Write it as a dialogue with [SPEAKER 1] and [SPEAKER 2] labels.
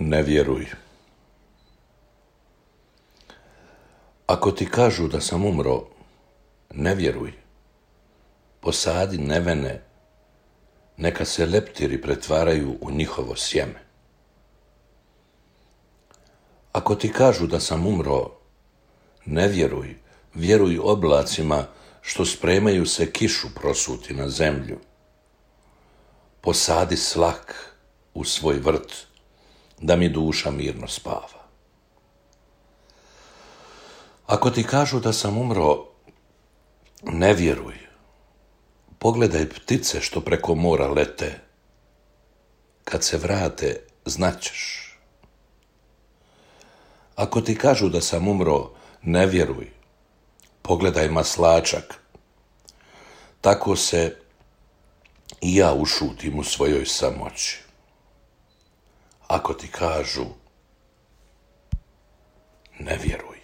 [SPEAKER 1] Ne vjeruj. Ako ti kažu da sam umro, ne vjeruj. Posadi nevene, neka se leptiri pretvaraju u njihovo sjeme. Ako ti kažu da sam umro, ne vjeruj, vjeruj oblacima što spremaju se kišu prosuti na zemlju. Posadi slak u svoj vrt, da mi duša mirno spava. Ako ti kažu da sam umro, ne vjeruj. Pogledaj ptice što preko mora lete. Kad se vrate, znaćeš. Ako ti kažu da sam umro, ne vjeruj. Pogledaj maslačak. Tako se i ja ušutim u svojoj samoći. Ako ti kažu, ne vjeruj.